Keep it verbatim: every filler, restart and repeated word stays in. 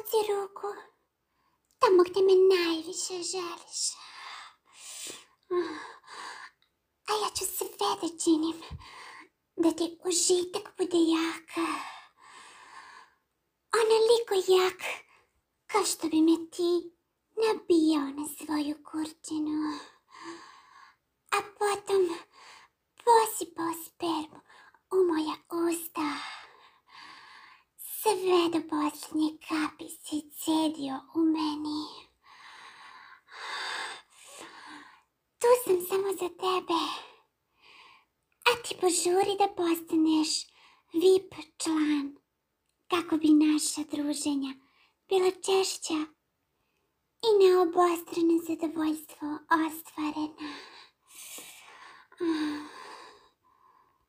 Puci ruku tamo gdje me najviše želiš. A ja ću sve da činim da ti užitak bude jak. Onoliko jak kao što bi me ti nabijao na svoju kurčinu. A potom posipao spermu u moja usta. Sve do posljednje kapi si cedio u meni. Tu sam samo za tebe. A ti požuri da postaneš V I P član, kako bi naša druženja bila češća i na obostrano zadovoljstvo ostvarena.